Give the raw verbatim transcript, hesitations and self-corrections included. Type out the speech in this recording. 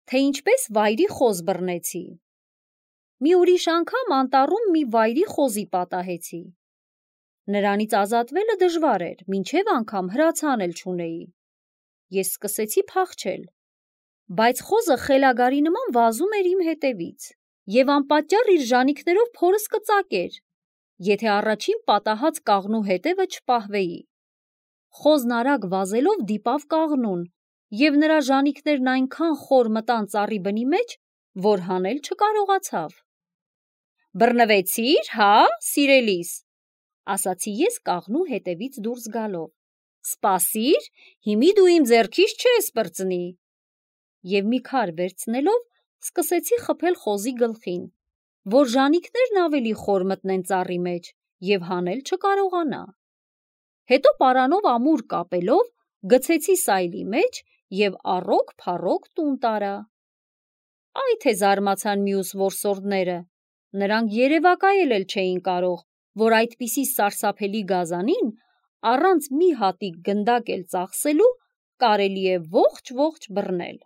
թե ինչպես վայրի խոզ բռնեցի։ Մի ուրիշ անգամ անտառում մի վայրի խոզի պատահեցի։ Նրանից ազատվելը դժվար էր, մինչև անգամ հրացան էլ չունեի։ Ես սկսեցի փախչել, բայց խոզը խելագարի նման վազում էր իմ հետևից և անպատճառ իր ժանիքներով փորս կծակեր, եթե առաջին պատահած կաղնու հետևը չպահվեի։ Խոզն արագ վազելով դիպավ կաղնուն, և նրա ժանիքներն այնքան խոր մտան ծառի բնի մեջ, որ հանել չկարողացավ։ «Բռնվեցի՞ր, հա, սիրելիս», ասացի ես կաղնու հետևից դուրս գալով։ «Սպասիր, հիմի դու իմ ձեռքից չես պրծնի»։ Եվ մի քար վերցնելով սկսեցի խփել խոզի գլխին, որ ժանիքներն ավելի խոր մտնեն ծառի մեջ և հանել չկարողանա։ Հետո պարանով ամուր կապելով գցեցի սայլի մեջ և առօգ-փառօգ տուն տարա։ Այ թե զարմացան մյուս որսորդները, նրանք երևակայել էլ չէին կարող, որ այդպիսի սարսափելի գազանին առանց մի հատիկ գնդակ էլ ծախսելու կարելի է ողջ-ողջ բռնել։